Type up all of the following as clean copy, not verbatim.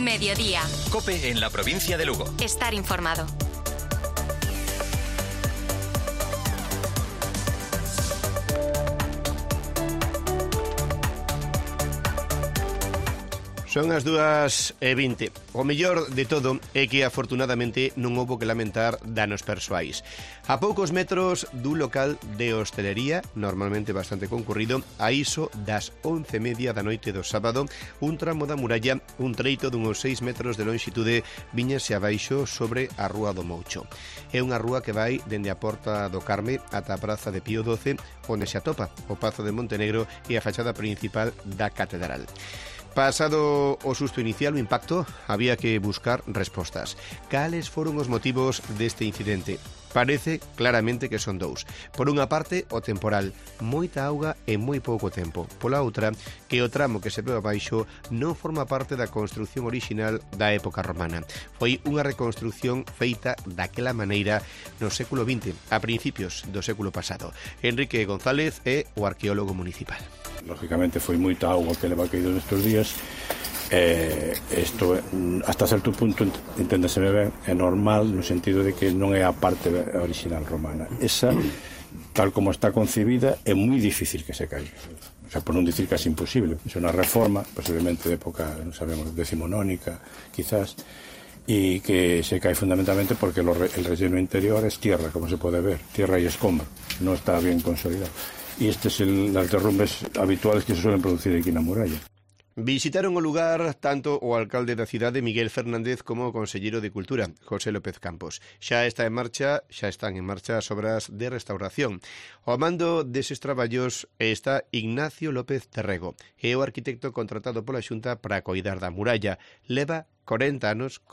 Mediodía. COPE en la provincia de Lugo. Estar informado. Son as 2:20. O mellor de todo é que afortunadamente non houbo que lamentar danos persoais. A poucos metros dun local de hostelería, normalmente bastante concurrido, a iso das 11:30 da noite do sábado, un tramo da muralla, un treito dunhos 6 metros de longitude, viñase abaixo sobre a Rúa do Moucho. É unha rúa que vai dende a Porta do Carme ata a Praza de Pío XII, onde se atopa o Pazo de Montenegro e a fachada principal da Catedral. Pasado o susto inicial, o impacto, había que buscar respostas. Cales foron os motivos deste incidente? Parece claramente que son dous. Por unha parte, o temporal, moita auga en moi pouco tempo. Pola outra, que o tramo que se ve abaixo non forma parte da construción orixinal da época romana. Foi unha reconstrucción feita daquela maneira no século XX, a principios do século pasado. Enrique González é o arqueólogo municipal. Lógicamente foi moita auga que leva caído nestes días. Isto hasta certo punto, enténdeseme ben, é normal no sentido de que non é a parte original romana. Esa, tal como está concebida, é moi difícil que se caiga. O sea, por non dicir casi imposible. É unha reforma, posiblemente de época, non sabemos, decimonónica, quizás, y que se cae fundamentalmente porque el relleno interior es tierra, como se puede ver, tierra y escombro, no está bien consolidado. Y este es las derrumbes habituales que se suelen producir aquí na muralla. Visitaron o lugar tanto o alcalde da cidade, Miguel Fernández, como o conselleiro de Cultura, José López Campos. Xa están en marcha as obras de restauración. Ao mando deses traballos está Ignacio López Terrego, é o arquitecto contratado pola Xunta para coidar da muralla. Leva 40 anos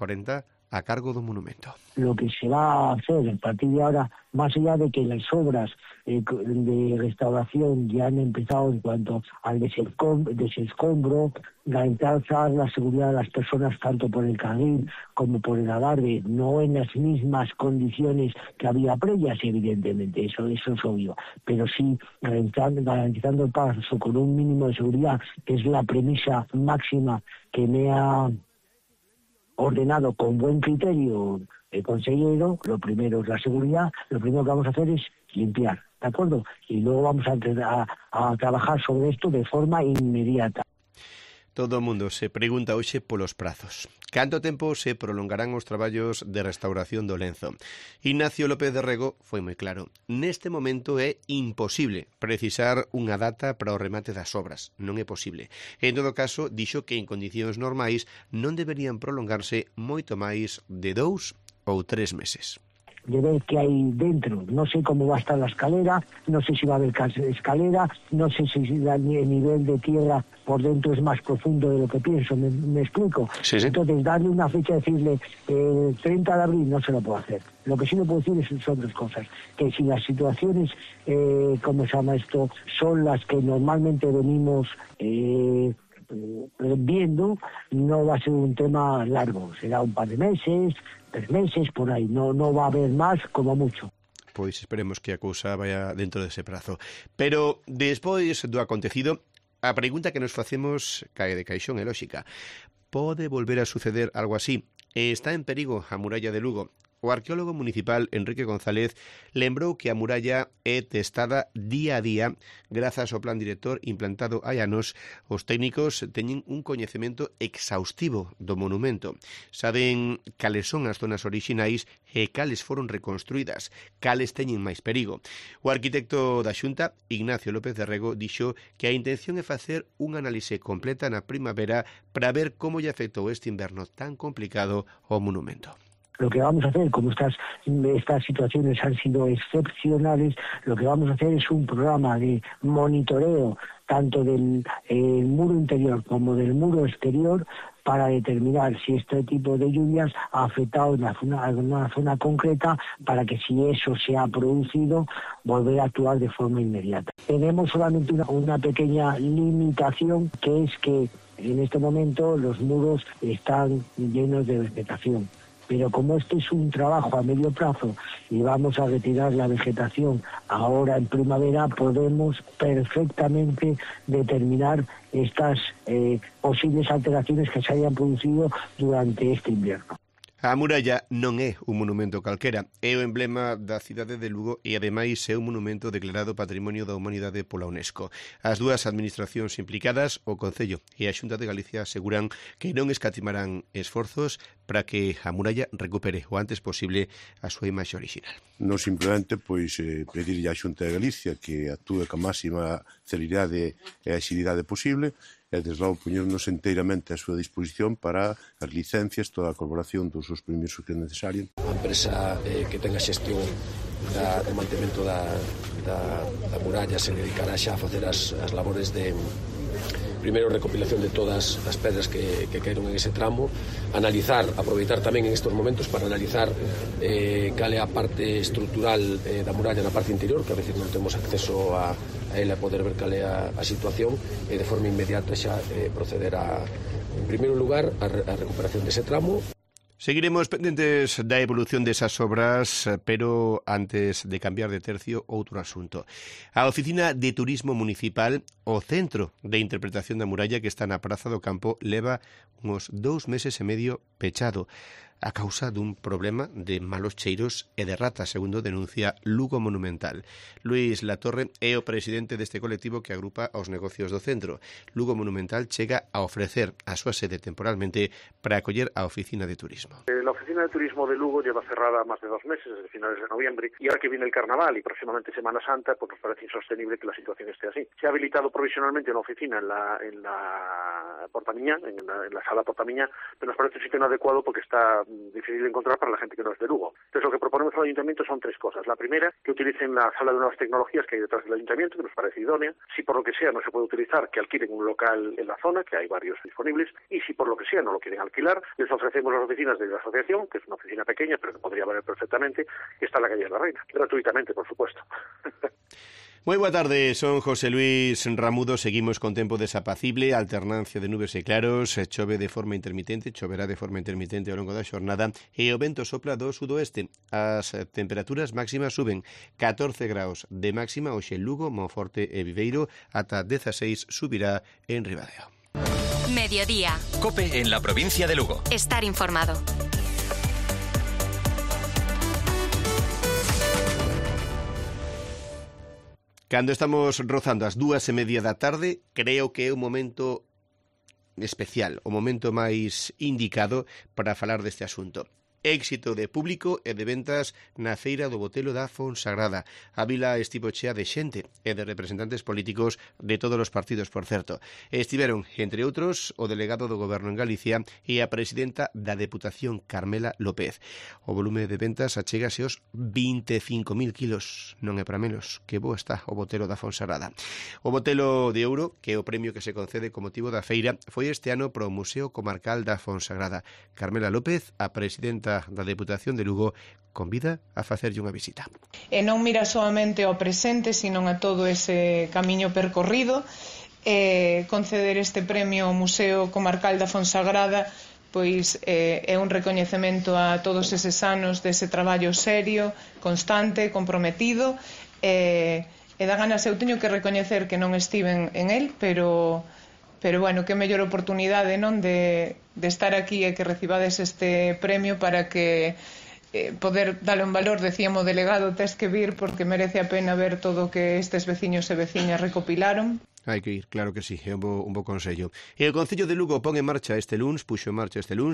a cargo do monumento. Lo que se va a hacer a partir de ahora, más allá de que las obras de restauración ya han empezado en cuanto al desescombro, garantizar la seguridad de las personas tanto por el carril como por el adarve, no en las mismas condiciones que había previas, evidentemente, eso es obvio, pero sí garantizando el paso con un mínimo de seguridad, que es la premisa máxima que me ha ordenado con buen criterio el consejero. Lo primero es la seguridad, lo primero que vamos a hacer es limpiar, ¿de acuerdo? Y luego vamos a trabajar sobre esto de forma inmediata. Todo o mundo se pregunta hoxe polos prazos. Canto tempo se prolongarán os traballos de restauración do lenzo? Ignacio López Terrego foi moi claro. Neste momento é imposible precisar unha data para o remate das obras. Non é posible. En todo caso, dixo que en condicións normais non deberían prolongarse moito máis de 2 ou 3 meses. De ver qué hay dentro. No sé cómo va a estar la escalera, no sé si va a haber escalera, no sé si el nivel de tierra por dentro es más profundo de lo que pienso, ¿me explico? Sí. Entonces, darle una fecha, decirle 30 de abril no se lo puedo hacer. Lo que sí le puedo decir son dos cosas, que si las situaciones, ¿cómo se llama esto?, son las que normalmente venimos viendo, no va a ser un tema largo, será un par de meses, 3 meses, por aí, no va a haber máis, como mucho. Pois esperemos que a cousa vaya dentro dese prazo. Pero, despois do acontecido, a pregunta que nos facemos cae de caixón é lóxica. Pode volver a suceder algo así? Está en perigo a muralla de Lugo? O arqueólogo municipal Enrique González lembrou que a muralla é testada día a día grazas ao plan director implantado hai anos. Os técnicos teñen un coñecemento exhaustivo do monumento. Saben cales son as zonas orixinais e cales foron reconstruídas, cales teñen máis perigo. O arquitecto da Xunta, Ignacio López Terrego, dixo que a intención é facer unha análise completa na primavera para ver como lle afectou este inverno tan complicado ao monumento. Lo que vamos a hacer, como estas situaciones han sido excepcionales, lo que vamos a hacer es un programa de monitoreo tanto del muro interior como del muro exterior para determinar si este tipo de lluvias ha afectado en una zona concreta, para que si eso se ha producido, volver a actuar de forma inmediata. Tenemos solamente una pequeña limitación, que es que en este momento los muros están llenos de vegetación. pero como este es un trabajo a medio plazo y vamos a retirar la vegetación ahora en primavera, podemos perfectamente determinar estas posibles alteraciones que se hayan producido durante este invierno. A muralla non é un monumento calquera, é o emblema da cidade de Lugo e ademais é un monumento declarado Patrimonio da Humanidade pola UNESCO. As dúas administracións implicadas, o Concello e a Xunta de Galicia, aseguran que non escatimarán esforzos para que a muralla recupere o antes posible a súa imaxe original. Non simplemente pedirlle á Xunta de Galicia que actúe ca máxima celeridade e axilidade posible, e desde logo poñernos enteiramente a súa disposición para as licencias, toda a colaboración dos seus permisos que é necesario. A empresa que tenga xestión do mantemento da muralla se dedicará xa a facer as labores de primeiro recopilación de todas as pedras que caeron en ese tramo, aproveitar tamén en estes momentos para analizar cal é a parte estrutural da muralla na parte interior, que a veces non temos acceso a ela, poder ver cal é a situación e de forma inmediata xa proceder en primeiro lugar a recuperación dese tramo. Seguiremos pendentes da evolución desas obras, pero antes de cambiar de tercio, outro asunto. A Oficina de Turismo Municipal, o Centro de Interpretación da Muralla que está na Praza do Campo, leva uns 2 meses e medio pechado a causa dun problema de malos cheiros e de ratas, segundo denuncia Lugo Monumental. Luís Latorre é o presidente deste colectivo que agrupa aos negocios do centro. Lugo Monumental chega a ofrecer a súa sede temporalmente para acoller a Oficina de Turismo. La Oficina de Turismo de Lugo lleva cerrada más de 2 meses, desde finales de noviembre, y ahora que viene el Carnaval y próximamente Semana Santa, pues nos parece insostenible que la situación esté así. Se ha habilitado provisionalmente una oficina en la Portamiñá, en la sala Portamiñá, pero nos parece un sitio inadecuado porque está difícil de encontrar para la gente que no es de Lugo. Entonces lo que proponemos al Ayuntamiento son 3 cosas. La primera, que utilicen la sala de nuevas tecnologías que hay detrás del Ayuntamiento, que nos parece idónea. Si por lo que sea no se puede utilizar, que alquilen un local en la zona, que hay varios disponibles. Y si por lo que sea no lo quieren alquilar, les ofrecemos las oficinas de la asociación, que es una oficina pequeña, pero que podría valer perfectamente, que está en la calle de la Reina. Gratuitamente, por supuesto. Moi boa tarde, son José Luis Ramudo. Seguimos con tempo desapacible, alternancia de nubes e claros, choverá de forma intermitente ao longo da xornada e o vento sopla do sudoeste. As temperaturas máximas suben 14 graus de máxima hoxe en Lugo, Monforte e Viveiro, ata 16 subirá en Ribadeo. Mediodía. COPE en la provincia de Lugo. Estar informado. Cando estamos rozando as 2:30 da tarde, creo que é un momento especial, o momento máis indicado para falar deste asunto. Éxito de público e de ventas na feira do Botelo da Fonsagrada. A vila estivo chea de xente e de representantes políticos de todos os partidos, por certo. Estiveron, entre outros, o delegado do Goberno en Galicia e a presidenta da Deputación, Carmela López. O volume de ventas achégase aos 25.000 kilos. Non é para menos. Que bo está o Botelo da Fonsagrada. O Botelo de Ouro, que é o premio que se concede con motivo da feira, foi este ano para o Museo Comarcal da Fonsagrada. Carmela López, a presidenta da Deputación de Lugo, convida a facerlle unha visita. E non mira solamente ao presente, sino a todo ese camiño percorrido. Conceder este premio ao Museo Comarcal da Fonsagrada pois é un recoñecemento a todos eses anos dese traballo serio, constante, comprometido, e da ganas eu teño que recoñecer que non estiven en el, pero bueno, que mellor oportunidade, non, de estar aquí e que recibades este premio para que poder darle un valor. Decíamos, delegado, tes que vir porque merece a pena ver todo o que estes veciños e veciñas recopilaron. Hai que ir, claro que sí, é un bo consello. E o Concello de Lugo puxo en marcha este luns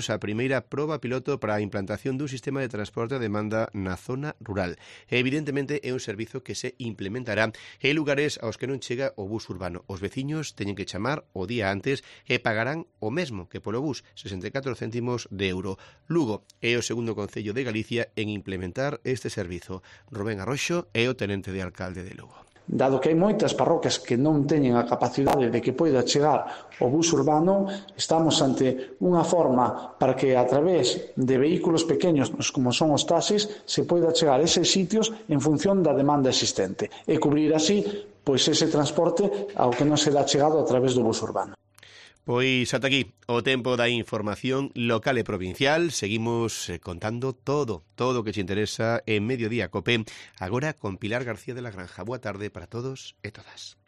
a primeira proba piloto para a implantación dun sistema de transporte a demanda na zona rural. E, evidentemente, é un servizo que se implementará en lugares aos que non chega o bus urbano. Os veciños teñen que chamar o día antes e pagarán o mesmo que polo bus, 64 céntimos de euro. Lugo é o segundo concello de Galicia en implementar este servizo. Rubén Arroxo é o tenente de alcalde de Lugo. Dado que hai moitas parroquias que non teñen a capacidade de que poida chegar o bus urbano, estamos ante unha forma para que a través de vehículos pequenos como son os taxis se poida chegar a eses sitios en función da demanda existente e cubrir así pois ese transporte ao que non se dá chegado a través do bus urbano. Pois ata aquí o tempo da información local e provincial. Seguimos contando todo o que te interesa en Mediodía Cope. Agora con Pilar García de la Granja. Boa tarde para todos e todas.